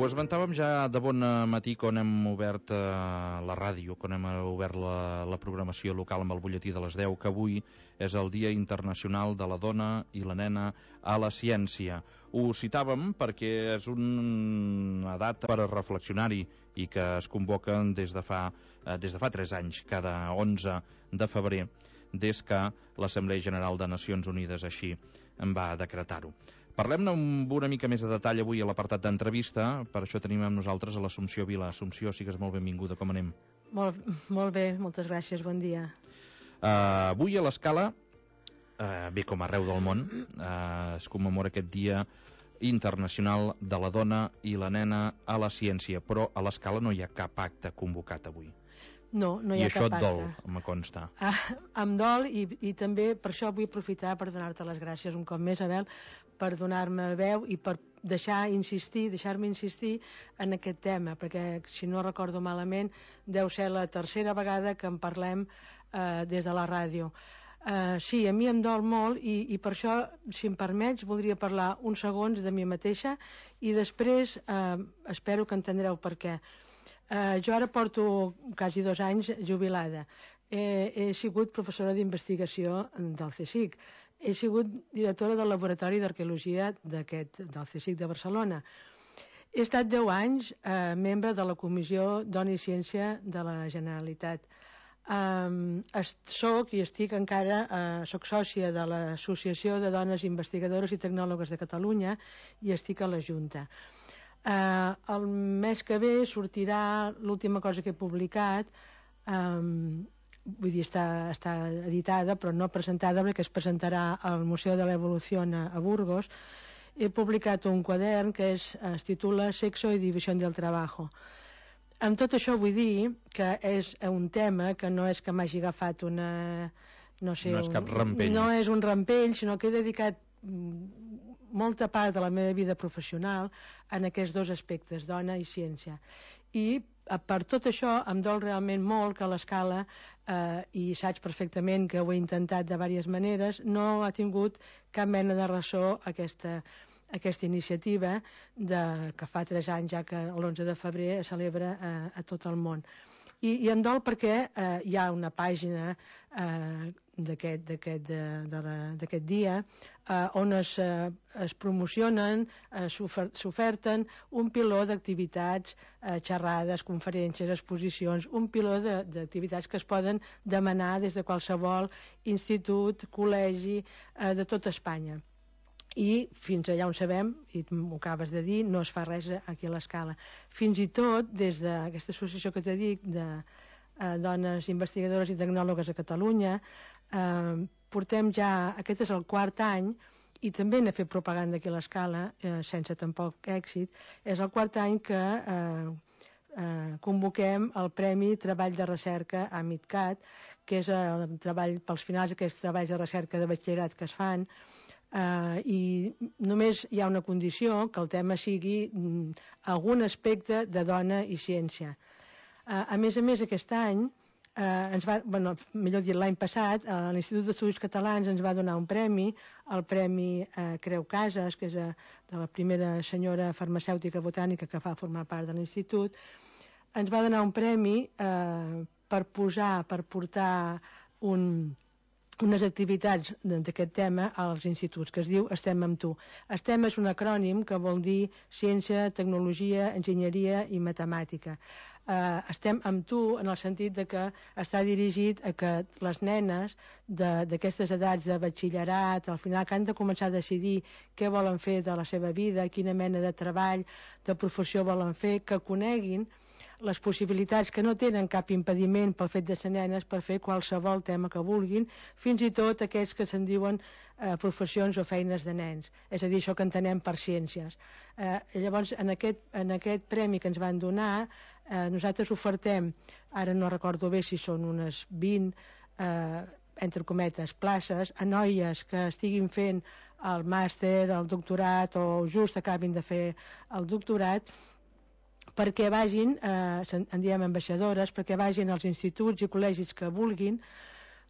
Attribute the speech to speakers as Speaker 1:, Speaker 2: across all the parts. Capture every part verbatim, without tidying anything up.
Speaker 1: ho esmentàvem ja de bon matí quan hem obert eh, la ràdio, quan hem obert la, la programació local amb el butlletí de les deu, que avui és el Dia Internacional de la Dona i la Nena a la Ciència. Ho citàvem perquè és una data per a reflexionar-hi i que es convoquen des de fa, eh, des de fa tres anys, cada onze de febrer, des que l'Assemblea General de Nacions Unides així en va decretar-ho. Parlem-ne amb una mica més de detall avui a l'apartat d'entrevista. Per això tenim amb nosaltres a l'Assumpció Vila. Assumpció, sigues molt benvinguda, com anem?
Speaker 2: Molt, molt bé, moltes gràcies, bon dia.
Speaker 1: Uh, avui a l'Escala, uh, bé com arreu del món, uh, es commemora aquest Dia Internacional de la Dona i la Nena a la Ciència, però a l'Escala no hi ha cap acte convocat avui.
Speaker 2: No, no hi ha
Speaker 1: I això
Speaker 2: cap
Speaker 1: et
Speaker 2: acte.
Speaker 1: dol, me consta.
Speaker 2: Ah, em dol i, i també per això vull aprofitar per donar-te les gràcies un cop més, Abel, per donar-me veu i per deixar insistir, deixar-me insistir en aquest tema, perquè si no recordo malament deu ser la tercera vegada que en parlem eh, des de la ràdio. Uh, sí, a mi em dol molt i, i per això, si em permets, voldria parlar uns segons de mi mateixa i després uh, espero que entendreu per què. Uh, jo ara porto quasi dos anys jubilada. He, he sigut professora d'investigació del CSIC. He sigut directora del Laboratori d'Arqueologia d'aquest, del CSIC de Barcelona. He estat deu anys eh, membre de la Comissió Dona i Ciència de la Generalitat. Um, soc i estic encara uh, soc sòcia de l'Associació de Dones Investigadores i Tecnòlogues de Catalunya i estic a la Junta. Uh, el mes que ve sortirà l'última cosa que he publicat, um, vull dir, està, està editada però no presentada, perquè es presentarà al Museu de l'Evolució a, a Burgos. He publicat un quadern que és, es titula Sexo y división del trabajo. Amb tot això vull dir que és un tema que no és que m'hagi agafat una... No, sé,
Speaker 1: no és cap rampell.
Speaker 2: Un, no és un rampell, sinó que he dedicat molta part de la meva vida professional en aquests dos aspectes, dona i ciència. I per tot això em dol realment molt que l'Escala, eh, i saps perfectament que ho he intentat de diverses maneres, no ha tingut cap mena de ressò aquesta, aquesta iniciativa de, que fa tres anys ja que l'onze de febrer es celebra a, a tot el món. I, i em dol perquè eh, hi ha una pàgina eh, d'aquest dia eh, on es, eh, es promocionen, eh, s'oferten un piló d'activitats, eh, xerrades, conferències, exposicions, un piló d'activitats que es poden demanar des de qualsevol institut, col·legi eh, de tot Espanya. I fins allà on sabem, i m'ho acabes de dir, no es fa res aquí a l'Escala. Fins i tot des d'aquesta associació que t'he dit de eh, dones investigadores i tecnòlogues a Catalunya, eh, portem ja, aquest és el quart any, i també n'he fet propaganda aquí a l'Escala, eh, sense tampoc èxit, és el quart any que eh, eh, convoquem el Premi Treball de Recerca a MidCat, que és el treball pels finals d'aquests treballs de recerca de batxillerat que es fan. Uh, i només hi ha una condició, que el tema sigui mm, algun aspecte de dona i ciència. Uh, a més a més, aquest any uh, ens va, bueno, millor dit, l'any passat uh, l'Institut d'Estudis Catalans ens va donar un premi, el Premi uh, Creu Casas, que és uh, de la primera senyora farmacèutica botànica que va formar part de l'Institut. Ens va donar un premi uh, per posar, per portar un unes activitats d'aquest tema als instituts, que es diu Estem amb tu. Estem és un acrònim que vol dir ciència, tecnologia, enginyeria i matemàtica. Uh, estem amb tu en el sentit de que està dirigit a que les nenes d'aquestes edats de batxillerat, al final que han de començar a decidir què volen fer de la seva vida, quina mena de treball, de professió volen fer, que coneguin les possibilitats, que no tenen cap impediment pel fet de ser nenes per fer qualsevol tema que vulguin, fins i tot aquells que se'n diuen eh, professions o feines de nens, és a dir, això que entenem per ciències. Eh, llavors, en aquest, en aquest premi que ens van donar, eh, nosaltres ofertem, ara no recordo bé si són unes vint, eh, entre cometes, places a noies que estiguin fent el màster, el doctorat o just acabin de fer el doctorat, perquè vagin, eh, en diem ambaixadores, perquè vagin als instituts i col·legis que vulguin,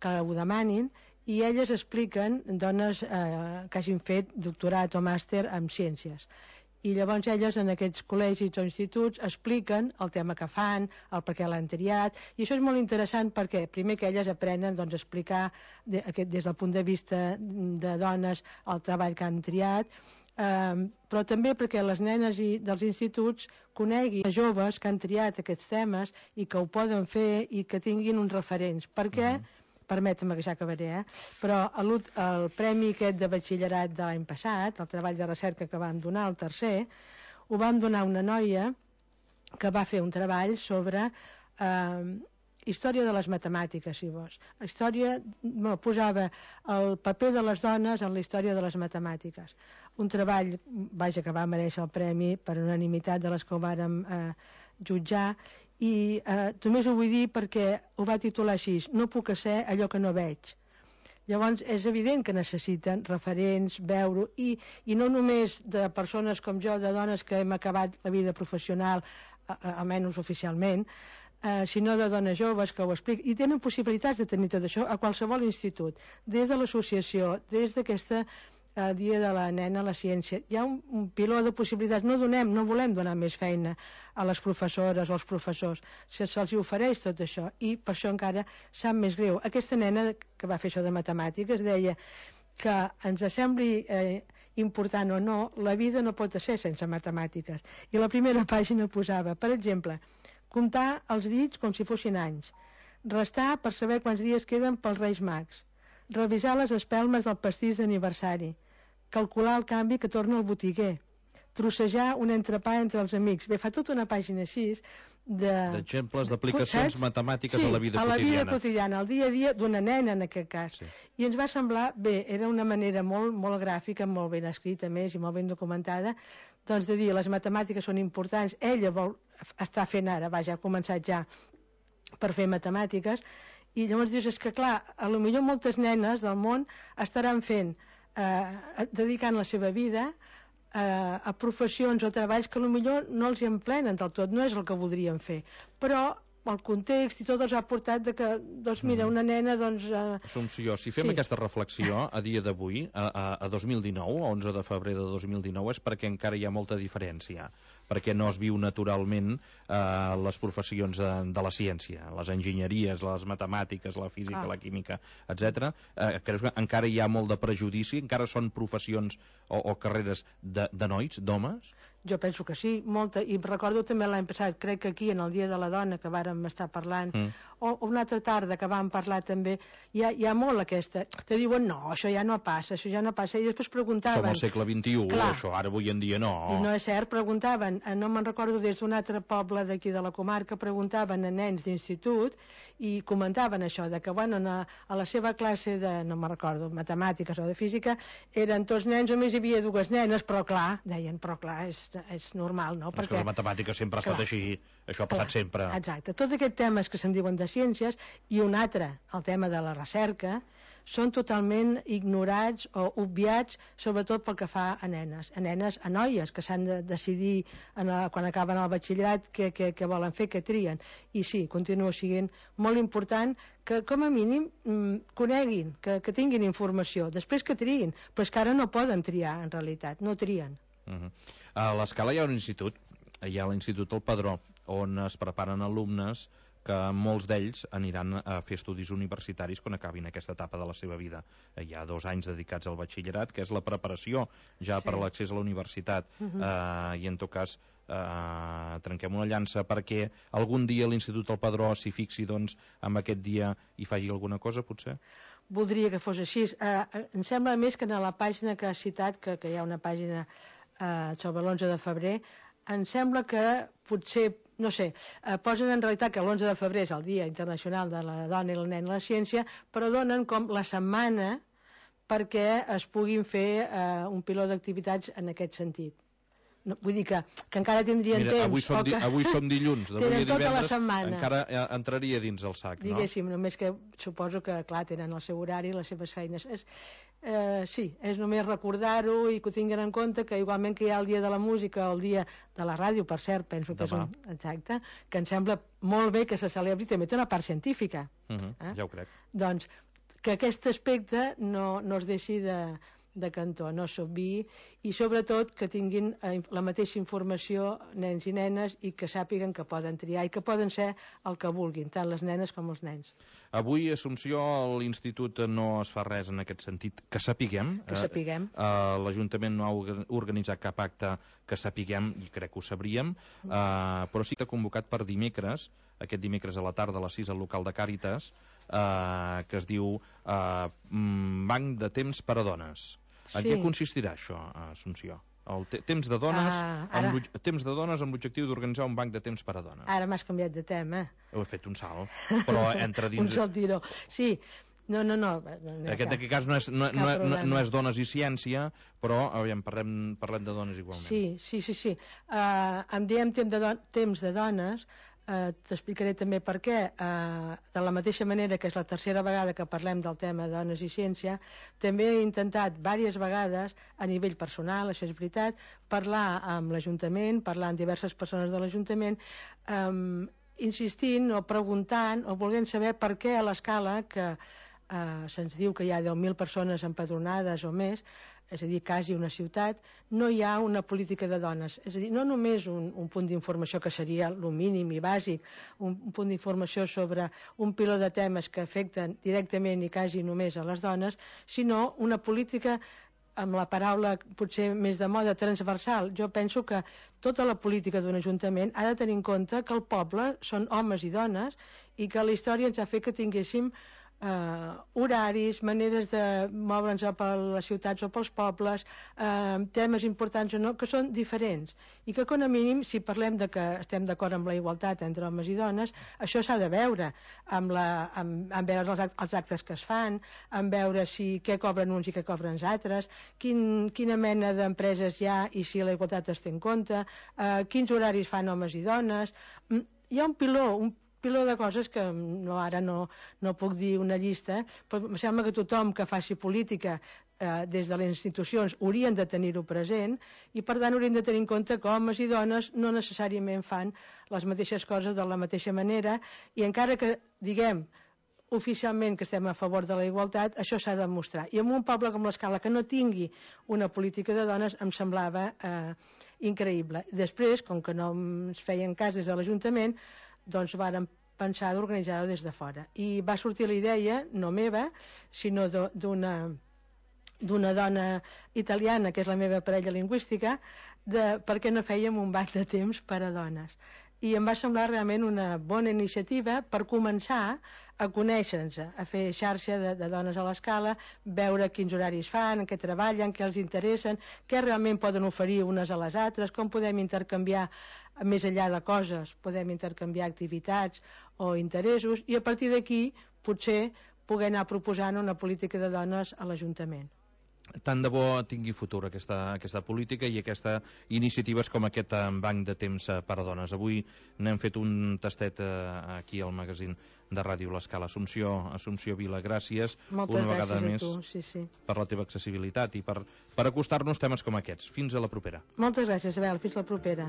Speaker 2: que ho demanin, i elles expliquen, dones eh, que hagin fet doctorat o màster en ciències. I llavors elles en aquests col·legis o instituts expliquen el tema que fan, el per què l'han triat, i això és molt interessant perquè primer que elles aprenen doncs, a explicar de, aquest, des del punt de vista de dones el treball que han triat, eh, però també perquè les nenes i dels instituts coneguin joves que han triat aquests temes i que ho poden fer i que tinguin uns referents, perquè uh-huh. permetem que ja acabaré, eh? Però el, el premi aquest de batxillerat de l'any passat, el treball de recerca que vam donar, el tercer, ho vam donar a una noia que va fer un treball sobre eh, història de les matemàtiques, si vols. La història, no, posava el paper de les dones en la història de les matemàtiques. Un treball, vaja, que va mereixer el premi per unanimitat de les que ho vàrem eh, jutjar, i eh, només ho vull dir perquè ho va titular així, no puc ser allò que no veig. Llavors és evident que necessiten referents, veure-ho, i, i no només de persones com jo, de dones que hem acabat la vida professional, a, a, almenys oficialment, eh, sinó de dones joves que ho expliquen, i tenen possibilitats de tenir tot això a qualsevol institut, des de l'associació, des d'aquesta el dia de la nena a la ciència. Hi ha un, un piló de possibilitats. No donem, no volem donar més feina a les professores o als professors. Se, se'ls ofereix tot això i per això encara sap més greu. Aquesta nena que va fer això de matemàtiques deia que ens sembli eh, important o no, la vida no pot ser sense matemàtiques. I la primera pàgina posava, per exemple, comptar els dits com si fossin anys, restar per saber quants dies queden pels Reis Mags, revisar les espelmes del pastís d'aniversari, calcular el canvi que torna el botiguer, trossejar un entrepà entre els amics. Bé, fa tota una pàgina així de...
Speaker 1: d'exemples d'aplicacions matemàtiques
Speaker 2: sí,
Speaker 1: a la vida
Speaker 2: quotidiana. Sí, a la vida
Speaker 1: quotidiana.
Speaker 2: quotidiana, al dia a dia d'una nena en aquest cas.
Speaker 1: Sí.
Speaker 2: I ens va semblar, bé, era una manera molt, molt gràfica, molt ben escrita més i molt ben documentada, doncs de dir, les matemàtiques són importants, ella vol estar fent ara, vaja, ha començat ja per fer matemàtiques, i llavors dius, és que clar, a lo millor moltes nenes del món estaran fent, eh, dedicant la seva vida eh, a professions o treballs que a lo millor no els hi emplenen del tot, no és el que voldrien fer, però el context i tot els ha portat de que, doncs mira, una nena, doncs... Eh...
Speaker 1: Assumpció, si fem sí. aquesta reflexió a dia d'avui, a, a, a dos mil dinou, a onze de febrer de dos mil dinou, és perquè encara hi ha molta diferència, perquè no es viu naturalment eh, les professions de, de la ciència, les enginyeries, les matemàtiques, la física, ah. la química, etcètera. Eh, creus que encara hi ha molt de prejudici? Encara són professions o, o carreres de, de nois, d'homes?
Speaker 2: Jo penso que sí, molta, i recordo també l'any passat, crec que aquí en el Dia de la Dona que vàrem estar parlant, mm. o, o una altra tarda que vam parlar també, hi ha, hi ha molt aquesta, te diuen no, això ja no passa, això ja no passa, i després preguntaven...
Speaker 1: Som al segle vint-i-u, clar, això ara avui en dia no.
Speaker 2: I no és cert, preguntaven, no me'n recordo des d'un altre poble d'aquí de la comarca, preguntaven a nens d'institut i comentaven això, de que bueno, a, a la seva classe de, no me'n recordo, matemàtiques o de física, eren tots nens, només hi havia dues nenes, però clar, deien, però clar, és, és normal, no?
Speaker 1: És perquè, que la matemàtica sempre ha estat clar, així, això ha passat clar, sempre.
Speaker 2: Exacte, tots aquests temes que se'n diuen de ciències i un altre, el tema de la recerca, són totalment ignorats o obviats, sobretot pel que fa a nenes, a nenes, a noies, que s'han de decidir en la, quan acaben el batxillerat què, què, què volen fer, què trien. I sí, continua sent molt important que, com a mínim, coneguin, que, que tinguin informació, després que triïn, però és que ara no poden triar, en realitat, no trien.
Speaker 1: Uh-huh. A l'Escala hi ha un institut, hi ha l'Institut El Padró, on es preparen alumnes que molts d'ells aniran a fer estudis universitaris quan acabin aquesta etapa de la seva vida. Hi ha dos anys dedicats al batxillerat, que és la preparació ja sí. per a l'accés a la universitat. Uh-huh. eh, I en tot cas eh, trenquem una llança perquè algun dia l'Institut El Padró s'hi fixi doncs, en aquest dia i faci alguna cosa, potser?
Speaker 2: Voldria que fos així. Eh, em sembla més que en la pàgina que has citat, que, que hi ha una pàgina eh, sobre l'onze de febrer, em sembla que potser, no sé, eh, posen en realitat que l'onze de febrer és el Dia Internacional de la Dona i la Nena a la Ciència, però donen com la setmana perquè es puguin fer eh, un piló d'activitats en aquest sentit. No, vull dir que, que encara tindrien
Speaker 1: Mira,
Speaker 2: temps.
Speaker 1: Avui som, di, avui som dilluns,
Speaker 2: tenen tota la setmana.
Speaker 1: Encara entraria dins el sac, no?
Speaker 2: Diguéssim, només que suposo que, clar, tenen el seu horari, les seves feines. És, eh, sí, és només recordar-ho i que ho tinguin en compte, que igualment que hi ha el Dia de la Música, el Dia de la Ràdio, per cert, penso que
Speaker 1: Demà.
Speaker 2: és un... Exacte, que em sembla molt bé que se celebri, també té una part científica.
Speaker 1: Uh-huh, eh? Ja ho crec.
Speaker 2: Doncs que aquest aspecte no, no es deixi de, de cantó, no s'obviï, i sobretot que tinguin la mateixa informació nens i nenes i que sàpiguen que poden triar i que poden ser el que vulguin, tant les nenes com els nens.
Speaker 1: Avui, Assumpció, l'Institut no es fa res en aquest sentit, que sapiguem.
Speaker 2: Que sapiguem.
Speaker 1: Eh, eh, L'Ajuntament no ha organitzat cap acte que sapiguem, i crec que ho sabríem, eh, però sí que ha convocat per dimecres, aquest dimecres a la tarda a les sis al local de Càritas, eh, que es diu eh, Banc de Temps per a Dones. En
Speaker 2: Sí.
Speaker 1: què consistirà això, Assumpció? El te temps de dones
Speaker 2: Ah,
Speaker 1: amb
Speaker 2: ara.
Speaker 1: l'ob- temps de dones amb l'objectiu d'organitzar un banc de temps per a dones.
Speaker 2: Ara m'has canviat de tema.
Speaker 1: Heu fet un salt, però entra
Speaker 2: Un
Speaker 1: dins...
Speaker 2: saltiró. Sí, no, no, no. no, no
Speaker 1: Aquest, en aquest cas no és, no,
Speaker 2: Cap
Speaker 1: no, no,
Speaker 2: problema.
Speaker 1: no és dones i ciència, però aviam, parlem, parlem de dones igualment.
Speaker 2: Sí, sí, sí, sí. Uh, em diem temps de, don temps de dones, uh, t'explicaré també per què. Uh, de la mateixa manera que és la tercera vegada que parlem del tema de dones i ciència, també he intentat diverses vegades, a nivell personal, això és veritat, parlar amb l'Ajuntament, parlar amb diverses persones de l'Ajuntament, um, insistint o preguntant o volent saber per què a l'escala que Uh, se'ns diu que hi ha deu mil persones empadronades o més, és a dir, quasi una ciutat, no hi ha una política de dones. És a dir, no només un, un punt d'informació que seria el mínim i bàsic, un, un punt d'informació sobre un piló de temes que afecten directament i quasi només a les dones, sinó una política amb la paraula potser més de moda transversal. Jo penso que tota la política d'un ajuntament ha de tenir en compte que el poble són homes i dones i que la història ens ha fet que tinguéssim Uh, horaris, maneres de moure'ns per les ciutats o pels pobles, uh, temes importants o no, que són diferents i que com a mínim, si parlem de que estem d'acord amb la igualtat entre homes i dones, això s'ha de veure amb, la, amb, amb veure els, act els actes que es fan, amb veure si què cobren uns i què cobren els altres, quin, quina mena d'empreses hi ha i si la igualtat es té en compte, uh, quins horaris fan homes i dones. Mm, hi ha un piló, un piló de coses que no, ara no, no puc dir una llista, però em sembla que tothom que faci política eh, des de les institucions haurien de tenir-ho present i per tant haurien de tenir en compte que homes i dones no necessàriament fan les mateixes coses de la mateixa manera i encara que diguem oficialment que estem a favor de la igualtat, això s'ha de demostrar. I en un poble com l'Escala que no tingui una política de dones em semblava eh, increïble. Després, com que no ens feien cas des de l'Ajuntament, doncs vàrem pensar d'organitzar-ho des de fora. I va sortir la idea, no meva, sinó d'una d'una dona italiana, que és la meva parella lingüística, de per què no fèiem un banc de temps per a dones. I em va semblar realment una bona iniciativa per començar a conèixer-nos, a fer xarxa de, de dones a l'Escala, veure quins horaris fan, en què treballen, què els interessen, què realment poden oferir unes a les altres, com podem intercanviar més enllà de coses, podem intercanviar activitats o interessos i a partir d'aquí potser poder anar proposant una política de dones a l'Ajuntament.
Speaker 1: Tant de bo tingui futur aquesta, aquesta política i aquestes iniciatives com aquest banc de temps per a dones. Avui n'hem fet un tastet aquí al magazín de Ràdio L'Escala. Assumpció, Assumpció Vila, gràcies
Speaker 2: Moltes
Speaker 1: una vegada
Speaker 2: gràcies
Speaker 1: més
Speaker 2: a tu, sí, sí.
Speaker 1: per la teva accessibilitat i per, per acostar-nos temes com aquests. Fins a la propera.
Speaker 2: Moltes gràcies, Abel. Fins la propera.